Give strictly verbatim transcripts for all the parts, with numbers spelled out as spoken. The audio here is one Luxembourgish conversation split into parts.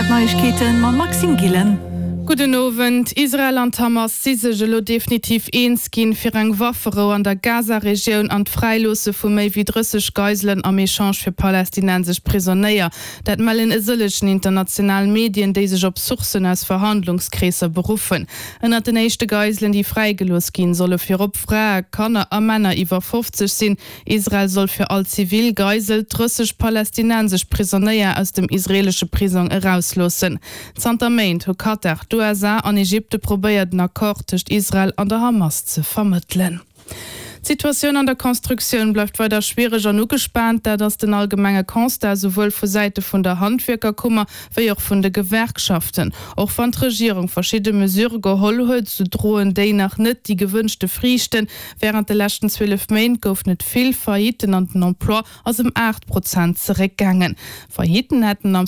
D'Neiegkeeten mam Maxime Gillen. Gudden Owend. Israel an d'Hamas si sech elo definitiv eens ginn, fir eng Wafferou an der Gaza-Regioun an d'Fräiloosse vu méi wéi drësseg Geiselen am Echange fir palästinensesch Prisonéier. Dat mellen e sëllegen international Medien, déi sech op Sourcen aus Verhandlungskreesser beruffen. Ënnert den éischte Geiselen, déi fräigelooss ginn, solle virop Frae, Kanner a Männer iwwer fofzeg sinn. Israel soll fir all zivil Geisel drësseg palästinensesch Prisonéier aus dem israeelesche Prisong erausloossen. Zanter Méint hu Katar, d'USA an Ägypte probéiert en Accord tëscht Israel an der Hamas ze vermëttelen. D'Situatioun an der Constructioun bleift weider schwiereg an ugespaant. Dat ass den allgemenge Constat, souwuel vu Säite vun der Handwierkerkummer wéi och vun de Gewerkschaften. Och wann d'Regierung verschidde Mesure geholl huet, sou droen déi nach net déi gewënschte Friichten. Wärend de leschten zwielef Méint goufen et vill Faillitten an den Emploi ass ëm aacht Prozent zeréckgaangen. Faillitten hätten am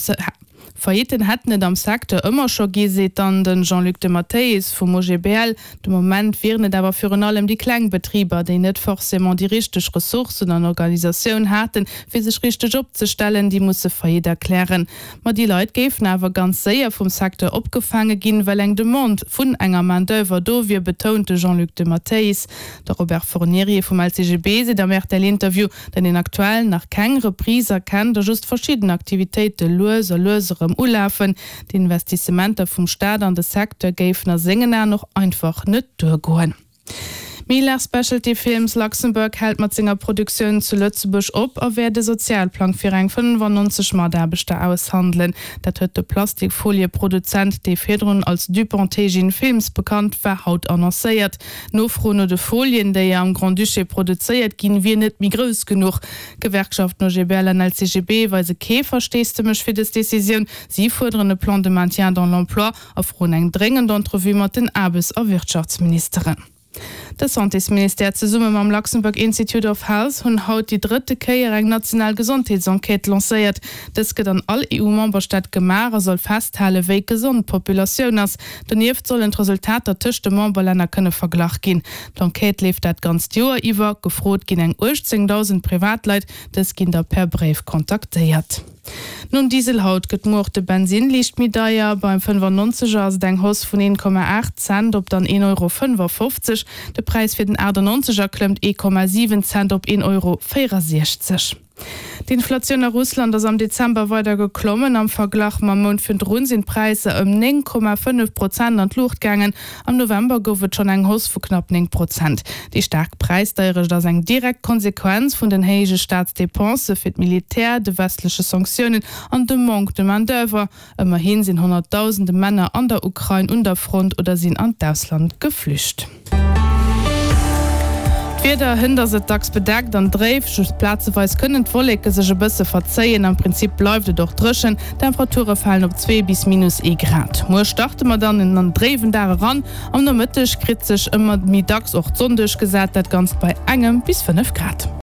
Faillitten hätten et am Secteur ëmmer scho gi, seet dann de Jean-Luc de Matteis vum O G B L. De Moment wieren et awer virun allem déi kleng Betriber, déi net forcément déi richteg Ressourcen an Organisatioun haten, fir sech richteg opzestellen, déi musse Faillite erklären. Ma déi Leit géifen awer ganz séier vum Secteur opgefaange ginn, well eng Demande vun enger Main-d'oeuvre do wier, betount de Jean-Luc de Matteis. De Robert Fornieri vum L C G B seet am R T L-Interview, datt een aktuell nach keng Reprise erkennt a just verschidden Aktivitéite lues a lues erëm ulafen. D'Investissementer vum Staat an de Secteur géifen a sengen Aen och einfach net duergoen. Mila Specialty Films Luxembourg hält mat senger Produktioun zu Lëtzebuerg op a wäert de Sozialplang fir eng fënnefannonzeg Mataarbechter aushandelen. Dat huet de Plastikfolieproduzent, dee virdrun als DuPont Teijin Films bekannt war, haut annoncéiert. D'Nofro no de Folien, déi am Grand-Duché produzéiert ginn, wier net méi grouss genuch. D'Gewerkschaften O G B L an L C G B weise kee Versteesdemech fir dës Decisioun. Si fuerderen e Plan de maintien dans l'emploi a froen eng dréngend Entrevue mat den Aarbechts a Wirtschaftsministeren. De Santésministère zesumme mam Luxembourg Institute of Health hunn haut déi drëtte Kéier eng national Gesondheetsenquête lancéiert. Dës gëtt an all E U-Memberstaat gemaach a soll festhalen, wéi gesond d'Populatioun ass. Donieft sollen d'Resultater tëscht de Memberlänner kënne verglach ginn. D'Enquête leeft dat ganzt Joer iwwer. Gefrot ginn eng uechtzéngdausend Privatleit, dës ginn da per Bréif kontaktéiert. Nom Diesel haut gëtt muer och de Bensinn liicht méi deier. Beim fënnefannonzeger ass et eng Hausse vun een Komma aacht Cent op dann een Euro fënnefafofzeg. De Präis fir den achtannonzeger klëmmt ee Komma siwen Cent op een Euro véierasiechzeg. D'Inflatioun a Russland ass am Dezember weider geklommen. Am Verglach mam Mount virdrun sinn d'Präisser ëm néng Komma fënnef Prozent an d'Luucht gaangen. Am November gouf et schonn eng Hausse vu knapp néng Prozent. Déi staark Präisdeierecht ass eng direkt Konsequenz vun den héije Staatsdepensë fir d'Militär, de westleche Sanktiounen an dem Manque de main-d'oeuvre. Ëmmerhi sinn honnertdausende Männer an der Ukrain un der Front oder sinn an d'Ausland geflücht. D'Wieder, Hënt ass et dacks bedeckt an dréif, just plazeweis kënnen d'Wolleke sech e bësse verzéien. Am Prinzip bleift et och dréchen, d'Temperature falen op zwee bis minus ee Grad. Muer starte mer dann an en dréiwen Dag eran, am Nomëtteg kritt sech ëmmer méi dacks och d'Sonn duerchgesat, dat Ganzt bei engem bis fënnef Grad.